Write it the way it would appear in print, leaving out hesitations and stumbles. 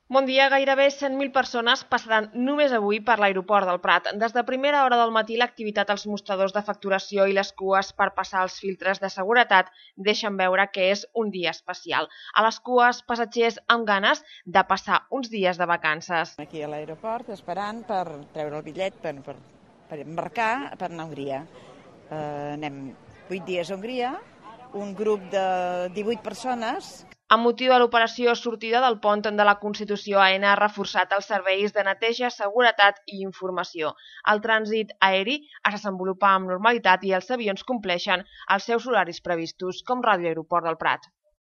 Bon dia, gairebé 100.000 persones passaran només avui per l'aeroport del Prat. Des de primera hora del matí l'activitat als mostradors de facturació i les cues per passar els filtres de seguretat deixen veure que és un dia especial. A les cues, passatgers amb ganes de passar uns dies de vacances. Aquí a l'aeroport esperant per treure el bitllet per embarcar per anar a Hongria. Anem 8 dies a Hongria, un grup de 18 persones. Amb motiu de l'operació sortida del pont de la Constitució, AENA ha reforçat els serveis de neteja, seguretat i informació. El trànsit aeri es desenvolupa amb normalitat i els avions compleixen els seus horaris previstos, com Ràdio Aeroport del Prat.